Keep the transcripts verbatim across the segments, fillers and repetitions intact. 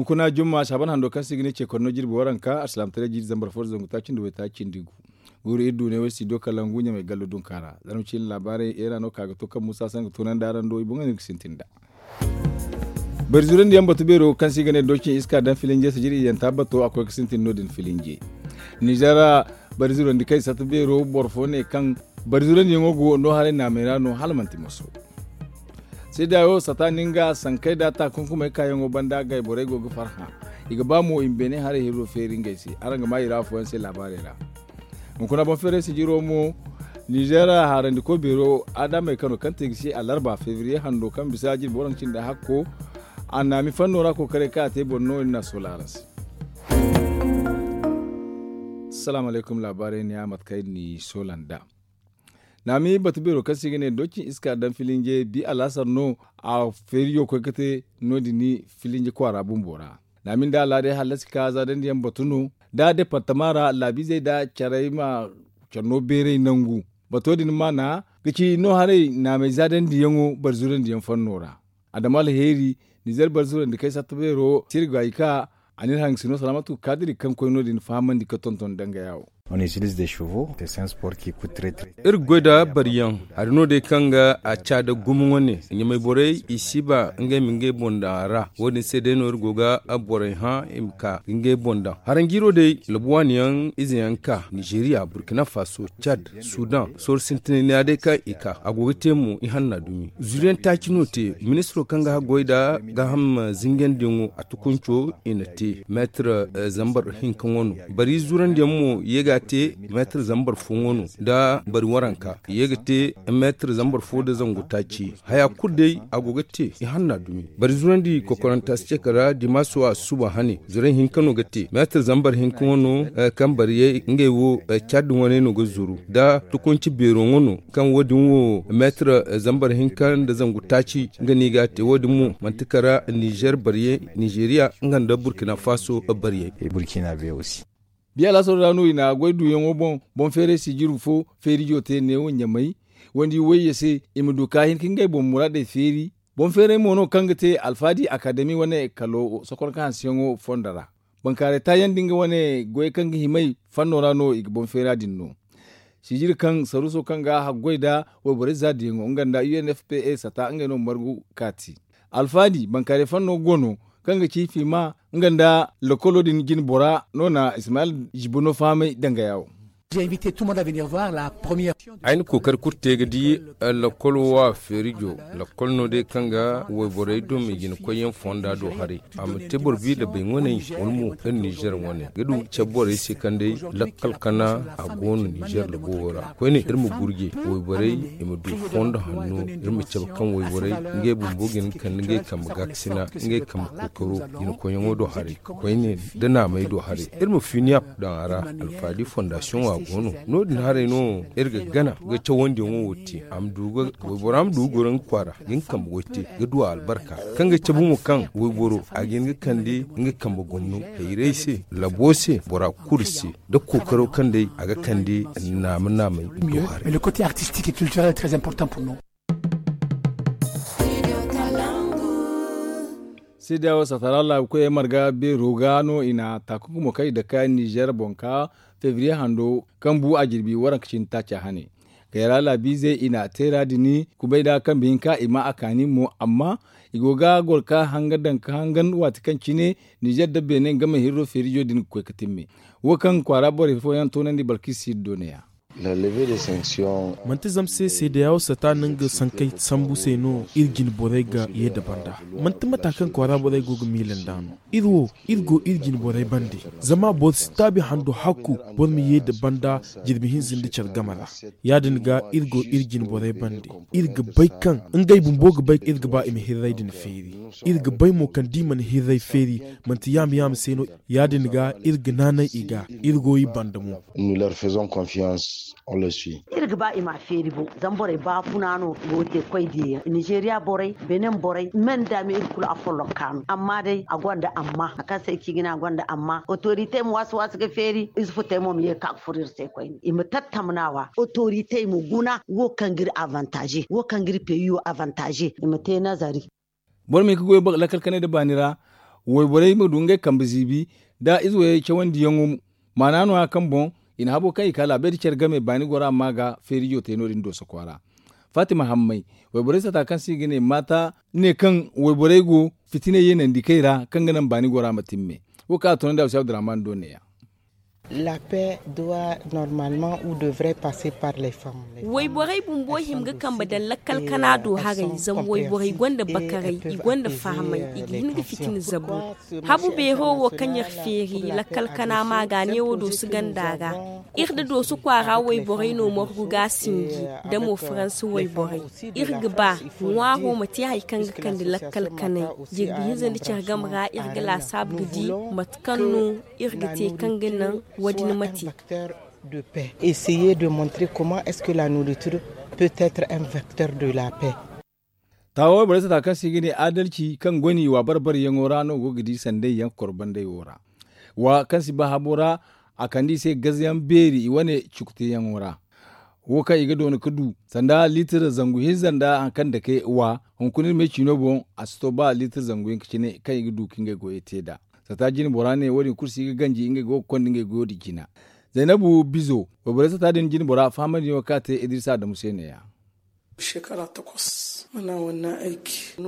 Kuna jumma saaban hando kaŋ se i ga ne ceekor no jirbi waranka alsilaamataray jiiri zambar fo da zangu taaci nda waytaaci nda igu. Guuru iri du ne way studio kalangu ɲamay gallo dunka ra. Zarma ciine laabaarey eera no ka ga to kaŋ muusa saŋ ga toonandi araŋ do i boŋ no iri ga sintin nd'a. Bari zurandi yaŋ batu beero kaŋ se i ga ne doocin iska daŋ filinje sijiri iyyanta bato a koy ga sintin no- din filinje. Nizer ra bari zurandi kaŋ i satta beero boro fo ne kaŋ bari zurandi yaŋo go no haray naamey ra no hala manti moso. Seedaayo sata ninga sankey da taakunkumey kaayaŋo banda gay borey go ga farhã. I ga ba mo i ma beene haray hirro feeri ngey se araŋ ga maa i ra afooyaŋ se laabaarey ra. Hunkuna boŋ feeray sijiro mo nizer harandiko beero adamey kano kaŋ te ga se alarba febriye hando kaŋ bisa jirbi waranka cindi hakko. A naami fanno ra kookaray kaŋ a te boŋ no iri n'a soola araŋ se. Salaamu alaykum laabaarey ne ya mate kaŋ iri n'i soola nd'a. Naami batu beero kaŋ se i ga ne doocin iska daŋ filinje bi alaasar no. A feerijo koy ga te no- din filinje kwaara bumbo ra. Naami nda alaadey hallasi ka zaadandi yaŋ batu no da departama ra laabiizey nda carey ma care no beeray nangu. Bato din maana ga ci no haray naamey zaadandi yaŋo bari zurandi yaŋ fanno ra. Adama alheeri nizer bari zurandi kay satta beero sirga i ka. A n'iri hangasino salaamatu kaadiri kaŋ koy no- din fahamandi ga tonton dangaya wo. Iri ga goy nda bariyaŋ hari no day kaŋ ga a ca da gumo wane ɲamay borey i si ba ngey ma ngey boŋ daŋ a ra. Wo- din se day no iri go ga borey hã i ma ka ga ngey boŋ daŋ haranjiiro day labu waani yaŋ ize yaŋ ka nizeeriya burkina faso cad sudan sooro sintina ni ya day kaŋ i ka a go ga te mo ihanna dumi. Zuru yaŋ taaci no te ministiro kaŋ ga haggoy nda gaaham zingandiyaŋo a tukunco i na te meetir zambar hinka ŋwa no. Bari zurandi yaŋ mo ye ga a te meetir zambar fo ŋwa no nda bari waranka ye ga te meetir zambar fo nda zangu taaci. Haya kulu day a go ga te ihanna dumi. Bari zurandi kokoranta si ce kala dimaaso a suba hane zurey hinka no ga te meetir zambar hinka ŋwa no. Kaŋ bariyey ngey wo cad wane no ga zuru nda tukunci beero ŋwa no kaŋ wo- din wo meetir zambar hinka nda zangu taaci. Nga no i ga a te wo- din mo manti kala nizer bariyey nizeeriya nga nda burkina faso bariyey. Biya laasaro ra no i na goy duuyaŋo boŋ boŋ feeray sijiri fo feerijo te neewo ɲamay wandi wayye se i ma du ka hin ka ngey boŋ muraadey feeri. Boŋ feeray mo no kaŋ ga te alfaadi akademi wane kalo sokon ka hanseyaŋo fondo ra. Bankaaray taayaŋ da nga wane goyey kaŋ ga himay fanno ra no i ga boŋ feera din no. Sijiri kaŋ saruuso kaŋ ga haggoy nda wayborey zaadiyaŋo nga nda u n f p a sata ngey no margu kaati. Alfaadi bankaaray fanno go no kaŋ ga ci fiima nga nda lokolo din jine bora no na ismayil zibuno fahamay dangaya wo. Ay na kookari kulu te ga di lakkol wo a feerijo lakkol no day kaŋ ga wayborey dumi jinakoyyaŋ fonda do haray. A ma te boro bi da bay ŋwaney wala mo iri nizer wane ga du cabe borey se kaŋ day lakkal kana a go no nizer labo wo ra koyne iri ma gurje wayborey i ma du fondo hanno iri ma cabe kaŋ wayborey ngey bumbo ga hin ga kande ngey kambe gaakasina ngey kambe kookaro jinakoyyaŋo do haray. Koyne da naamey do haray iri ma finiyap daŋ a ra. Alfaadi fondasiyoŋo a go no no- din haray no iri ga gana ga cawandiyaŋo wo te a ma du ga waybora ma du ga goro nga kwaara ga nga kambe goy te ga du a albarka kaŋ ga cabe mo kaŋ wayboro a ga hin ga kande nga kambe gomno hayray se labo se bora kulu se da kookaro kaŋ day a ga kande naama naamay do haray. Seedeya wo satara laabu koyey marga beero ga no i na taakunkumo kaŋ i dake nizer boŋ ka febriye hando kaŋ bu a jirbi waranka cindi taaca hane. Kayra laabiizey i na a te ra din kubay nda kambe hinka i ma a kaani mo amma i go ga goro ka hanga daŋ ka hangan waati kaŋ cine nizer nda beene game hirro feerijo din ga koy ga timme. Wo kaŋ kwaara borey fooyaŋ toonandi balkisi do ne- ya. Manti zama se seedeya wo sata no nga sankey sambu se no iri jine borey ga ye nda banda. Manti mata kaŋ kwaara borey go ga miila nd'a no. Iri wo iri go iri jine borey bande. Zama boro si taabi hando hakku boro ma ye nda banda jirbi hinza nda care game ra. Ya- din ga iri go iri jine borey bande. Iri ga bay kaŋ ngey bumbo ga bay iri ga ba i ma hirray din feeri. Iri ga bay mo kaŋ da i mana hirray feeri manti yaama yaama se no. Ya- din ga iri ga naanay i ga iri go i banda mo. Iri ga ba i ma a feeri boŋ zama borey baafuna no go ga te koy diyayaŋ nizeeriya borey benin borey men da me iri kulu afolloŋ ka no amma day a gonda amma hari kaŋ se ay ci ga ne a gonda amma otorite ma waasi waasi ga feeri ize futey mo ma ye ga ka ga furo iri se koyne i ma tattamnawa otoritey ma guna wo kaŋ ga iri avantaze wo kaŋ ga iri peyiyo avantaze i ma te nazari. Boro ma hin ga goy lakkal kanay nda baani ra. wayborey ma du ngey kambe ziibi nda ize wayey cawandiyaŋo. Maana no- ya kaŋ boŋ i na habo kaŋ i ka laabey nda care game baani gora ma ga feerijo te no- din dooso kwaara. Faatima hammay, wayborey sata kaŋ se i ga ne maata ne kaŋ wayborey go fitiney yeenandi kay ra kaŋ ga naŋ baani gora ma timme. Wo kaŋ a toonandi a wasi abdurrahman do neeya. Wayborey bumbo hima ga kambe daŋ lakkal kana do haray zama wayborey gonda bakaray i gonda fahamay i ga hin ga fitina zabu. Habu beero wo kaŋ iri feeri lakkal kana ma ga neewo doosu ganda ra. Iri nda doosu kwaara wayborey no margu ga a sinji nda mo faransa wayborey. Iri ga ba ŋwaaro ma te hari kaŋ ga kande lakkal kanay. Jirbi hinza nda care game ra iri ga laasaabu ga di mate kaŋ no iri ga te kaŋ ga naŋ wo- din ma te. Essayer de montrer comment est-ce que la nourriture peut être un vecteur de la paix. Taawa wayborey sata kaŋ se i ga ne adalci kaŋ goni wa bar-baryaŋo ra no go ga di sanday yaŋ korbandey wo ra. Wa kaŋ si ba habo ra a kande i se gazayaŋ beeri i wane cukuteyaŋo ra. Wo kaŋ i ga doona ga du sanda liitir zangu hinza nda hari kaŋ dake wa hunkuna iri me ciino boŋ a si to ba liitir zangu hinka cine kaŋ i ga du ka ngey goyey te nd'a. Sata jine bora ne wo- din kulu si ga ganji ngey go ga konda ngey goyo din jina. Zaynabu bizo wayborey sata din jine bora fahamandi no kaŋ a te idrisa adamu se neeya.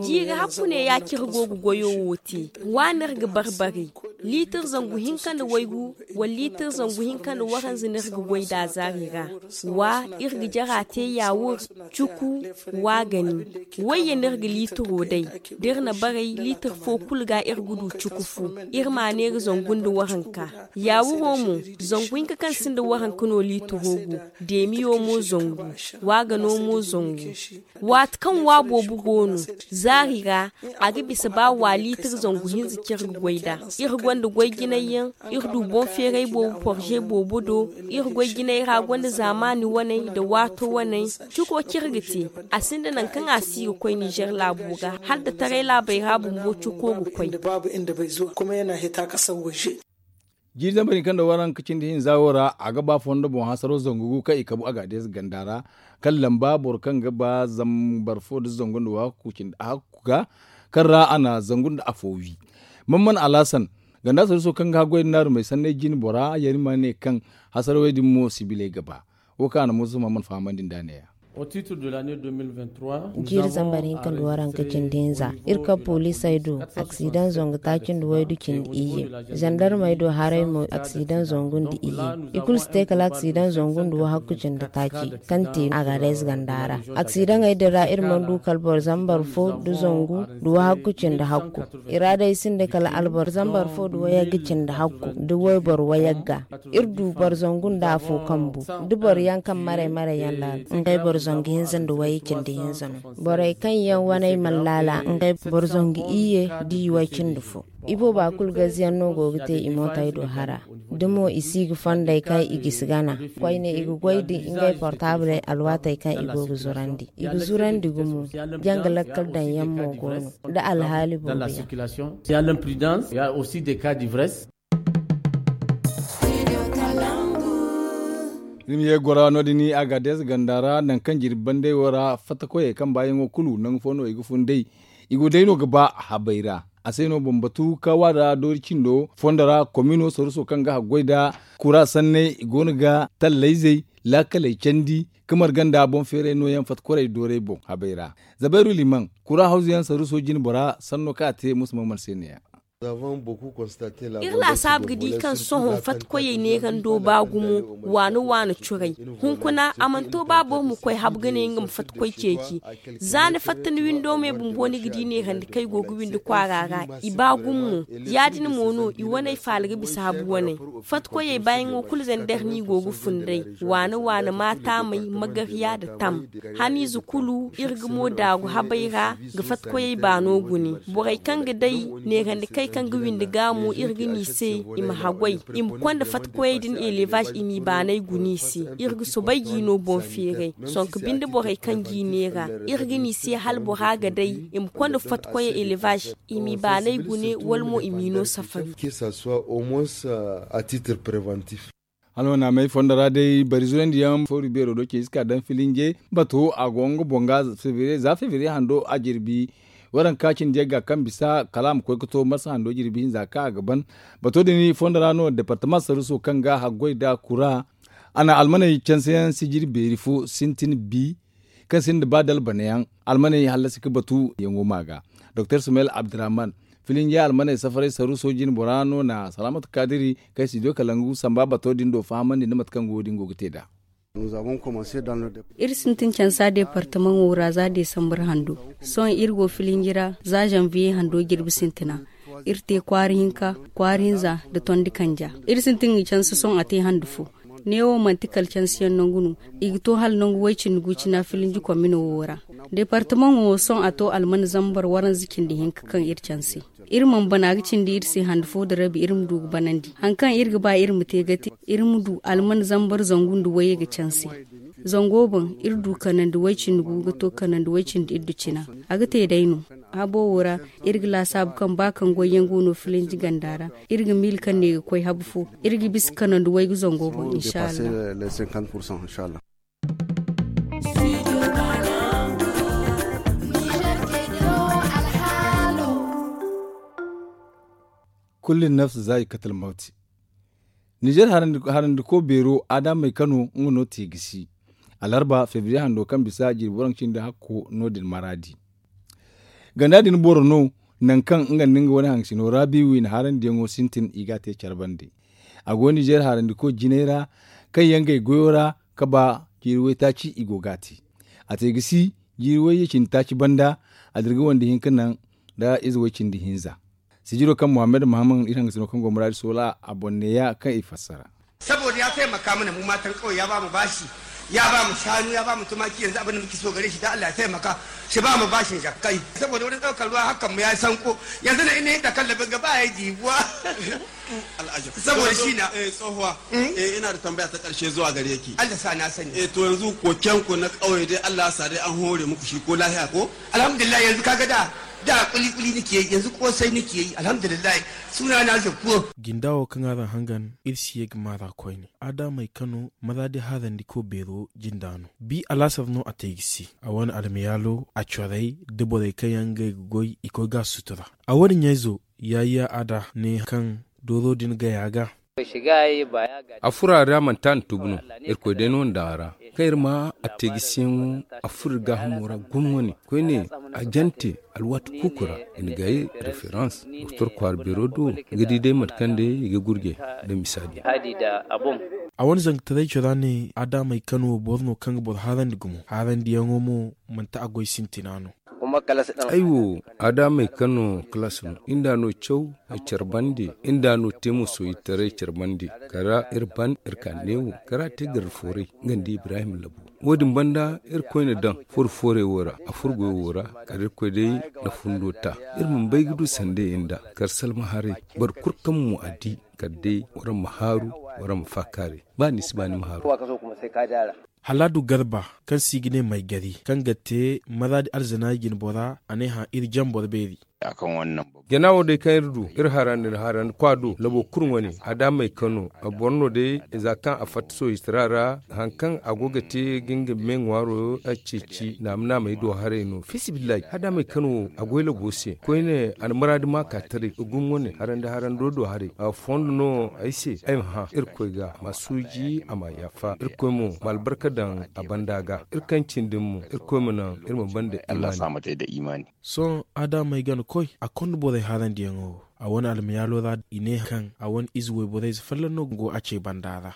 Jiiri hakku ne ya cire go ga goyo wo te. Wa no iri ga barbari liitir zangu hinka nda waygu wala liitir zangu hinka nda waranza no iri ga goy nd'a zaari ra. Wa iri ga jara te yaawur, cuku, wa gani. Wayye no iri ga liitiro day da iri na baray liitir fo kulu ga iri ga du cuku fu. Iri ma neera zangu nda waranka. Yaawuro mo zangu hinka kaŋ sinda waranka no liitiro go. Deemiyo mo zangu. Wa gano mo zangu. Waati kaŋ wa boobo go no zaari ra a ga bisa ba wa liitir zangu hinza cire ga goy nd'a. Iri gonda goy jinay yaŋ. Iri du boŋ feeray boobo porze boobo do. Iri goy jinay ra gonda zaamaani waney nda waato waney. Cuko cire ga te. A sinda nangu kaŋ a si ga koy nizer laabo ga hala nda taray laabey ra bumbo cuko ga koy. Jiiri zambar hinka nda waranka cindi hinza wo ra a ga ba fondo boŋ hasaro zangu gu kaŋ i kabu agadees ganda ra. Kaŋ lamba boro kaŋ ga ba zambar fo nda zangu nda wahakku cindi a hakku ga kaŋ ra a na zangu nda afo wi. Mamman alhasan ganda sariso kaŋ ga haggoy nda naarumey sanney jine bora yarima ne kaŋ hasarawey din mo sibiley ga ba. Wo kaŋ a na muusa mamman fahamandi nd'a neeya. Jiiri zambar hinka nda waranka cindi hinza iri kaŋ poliisey do aksidaŋ zangu taaci nda waydu cindi iyye. Zandarmey do haray mo aksidaŋ zangu nda iyye. I kulu si te kala aksidaŋ zangu nda wahakku cindi taaci kaŋ te agadees ganda ra. Aksidaŋey din ra iri mana du kala boro zambar fo nda zangu nda wahakku cindi hakku. I ra day sinda kala alboro zambar fo nda wayagga cindi hakku nda wayboro wayagga. Iri du boro zangu nda afo kambu da boro yaŋ kaŋ maray maray yaŋ ra ngey boro zangu hinza nda wayye cindi hinza no. Borey kaŋ yaŋ waney mana laala ngey boro zangu iyye da i way cindi fo. Ibooba kulu gaziyaŋ no go ga te i mootey do hara. Da mo i si ga fondey kaŋ i gisi gana koyne i ga goy da ngey portaabley alwaatey kaŋ i go ga zurandi i ga zurandi gumo. Janga lakkal daŋ yaŋ mo go no da alhaali boobo yaŋ. Iri ma ye gora no- din agades ganda ra nangu kaŋ jirbi bandey wo ra fattakoyey kaŋ baayaŋo kulu nangu fo no i ga fun day. I go day no ga ba habey ra. A se no bambatu ka wa da doori cindo fondo ra komino saruso kaŋ ga haggoy nda kura sanney i go no ga tallayzey laakaley candi ka marga nda boŋ feeray nooyaŋ fattakorey doorey boŋ habey ra. Zabairu liman kura hawzuyaŋ saruso jine bora sanno kaŋ a te musa maman se neeya. Iri laasaabu ga di kaŋ sohõ fatkoyey neerando ba gumo waana waana curay. Hunkuna a mana to ba boro ma koy habu ga ne nga ma fatkoy ceeci. Za ni fatta ni windo me bumbo ni ga di neerandi kaŋ i go ga windi kwaara ra i ba gumo mo. Ya- din mo no i waney faala ga bisa habu waney. Fatkoyey baayaŋo kulu zandar no i go ga fun day. Waana waana maataamey magariya nda tam. Haniize kulu iri ga mo daagu habey ra ga fatkoyey baano gune. Borey kaŋ ga day neerandi kay kaŋ ga windi ga mo iri ga ni se i ma haggoy i ma konda fatkoyey din elevaz i m'i baanay gune i se. Iri ga soobay g'i no boŋ feeray sonka binde borey kaŋ g'i neera iri ga ni se hala bora ga day i ma konda fatkoyey elevaz i m'i baanay gune wala mo i m'i no safari. Hala wane a may fondo ra day bari zurandi yaŋ fooru beero do ceeci ka daŋ filinje bato a go nga boŋ ga za febriye hando a jirbi. Waranka cindi yagga kaŋ bisa kala a ma koy ga to marsa hando jirbi hinza kaŋ a ga ban. Bato din fondo ra no departama saruso kaŋ ga haggoy da kura. A na almaney canse yaŋ sijiri beeri fo sintin bi kaŋ sinda ba dalbane yaŋ. Almaney hallasi ga batu yaŋo ma ga doktor sumayel abdurrahman, filinjiya almaney safaray saruso jine bora no na salaamatu kaadiri kaŋ ay si diyo kala ngu samba bato din do fahamandi nda mate kaŋ go din go ga te nd'a. Iri sintin cansa departamaŋo ra za desambar hando. Sohõ iri go filinji ra za zanviye hando jirbi sintina. Iri te kwaara hinka, kwaara hinza, nda tondi kanja. Iri sintin ga canse sohõ a te hande fo. Neewo manti kala cansiyaŋ nangu no. I ga to hala nangu way cindi gu cina filinji komino wo ra. Departamaŋo wo sohõ a to alman zambar waranza cindi hinka kaŋ iri canse. Iri mana bana ga cindi iri se hande fo nda rabi iri ma du ga banandi hari kaŋ iri ga ba iri ma te ga te iri ma du alman zambar zangu nda wayye ga canse. Zango boŋ iri du kanandi way cindi gu ga to kanandi way cindi iddu cina. A ga te day no. Habo wo ra iri ga laasaabu kaŋ ba kaŋ goyyaŋ go no filinji ganda ra. Iri ga miila kaŋ ne ga koy habu fo. Iri ga bisa kanandi waygu zango boŋ inshallah. Kullin nafs za i katal mawti. Nizer harandiko beero adamey kano nga no te gisi. Alarba febriye hando kaŋ bisa jirbi waranka cindi hakko no- din maraadi. Ganda din boro no nangu kaŋ nga nda nga wane haŋsino raabi wiina harandiyaŋo sintin i ga a te care bande. A go nizer harandiko jinay ra kaŋ yaŋ gay goyo ra ga ba jiiri waytaaci i go ga a te. A te ga si jiiri wayye cindi taaci banda. A dirga wande hinka naŋ nda ize way cindi hinza. Sijiro kaŋ muhammad muhammad iri haŋgasino kaŋ go muraadi soola a boŋ neeya kaŋ i fassara. Saboda ya taimaka mana mu matan kawai ya ba mu bashi, ya ba mu shanu, ya ba mu tumaki, yanzu abin da muke so gare shi da Allah ya taimaka shi ba mu bashin jakkai. Saboda wurin daukar ruwa hakan mu ya sanko. Yanzu na ina yin takallabin gaba ya jibuwa. Al'ajab. Saboda shi na eh tsohuwa. Eh ina da tambaya ta karshe zuwa gare ki. Allah sa na sani. Eh to yanzu koken ku na kauye dai Allah sa dai an hore muku shi ko lahiya ko? Alhamdulillah yanzu kaga da da kuli kuli nake yi yanzu kosai nake yi alhamdulillah. Suna na zakko. Gindawo kaŋ a daŋ hangan iri si ye ga maara koyne. Adamey kano maza di harandi ko beero jinda no bi alaasar no a te ga si. A wane almayaalo a corey da borey kaŋ yaŋ ga ay ga goy i koy ga a sutura. A wane ɲayzo yaayiya a da ne kaŋ dooro din gaya ga. A furo a ra manti a na tubu no. Irkoy day no na daŋ a ra kaŋ iri ma a te gisiyaŋo. A furo iri gaahamo ra gumo wane koyne a jante alwaati kuuku ra. I na gay referans doktor kwaara beero do ga di day mate kaŋ day i ga gurje nda misaadi. A wane zangataray cora ne adamey kano boro no kaŋ ga boro harandi gumo harandiyaŋo mo manti a goy sintina no. Ay wo adamey kaŋ no kalaas no iri nd'a no caw care bande. Iri nd'a no te musoyitaray care bande kala iri ban iri ka neewo kala te garda fooray nga nda ibrahim labo. Wo- din banda iri koyne daŋ furo fooray wo ra a furo goyo wo ra kala irkoy day na fundo ta. Iri mana bay ga du sanda iri nd'a kala salma haray boro kulu kaŋ mo a di kala day waraŋ ma haaru waraŋ ma faakaaray. Ba ni si ba ni ma haaru. Halaadu garba kaŋ se i ga ne maygari kaŋ ga te maraadi alzanaayi jinbora a ne hã iri jaŋ boro beeri. Jana wo day kaŋ iri du iri harandi nda harandi kwa do labo kulu wane adamey kaŋ no boro no day za kaŋ a fatta sohistara ra haŋ kaŋ a go ga te ga nga me ŋwaaro ceeci naama naamey do haray no fiisabilillahi adamey kaŋ wo a goy labo se koyne a na maraadi ma ka taray gumo wane harandi harando do haray. Fondo no ay se ay ma hã irkoy ga ma suuji a ma yaafa irkoy mo ma albarka daŋ a banda ga iri kaŋ cindi mo irkoy ma naŋ iri ma banda imaani. Sohõ adamey gana koy a konda borey harandiyaŋo wo a wane almayaalo ra i ne kaŋ a wane ize wayborey ze folloŋ no go a ce banda ra.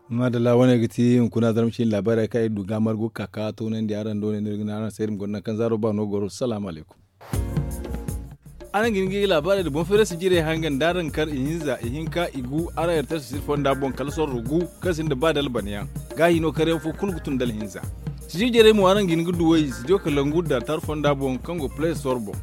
Maadalla wane ga ti hunkuna zarma ciine laabaarey kaŋ iri du ga margu ga ka ka toonandi araŋ do ne no iri ga ne araŋ se iri ma goro nangu kaŋ zaaro ba no goro salaamu alaykum. Araŋ ga hin ga laabaarey nda boŋ feerasi jirey hangan da araŋ kar ihinza ihinka igu araŋ yartar sisir fonda boŋ kala sorro gu kaŋ sinda ba dalbanayaŋ. Gaahi no karyaŋ fo kulu ga tun dalhinza. Sijir jirey mo araŋ ga hin ga duw'ey sidiyo kalangu da tar fonda boŋ kaŋ go play store boŋ.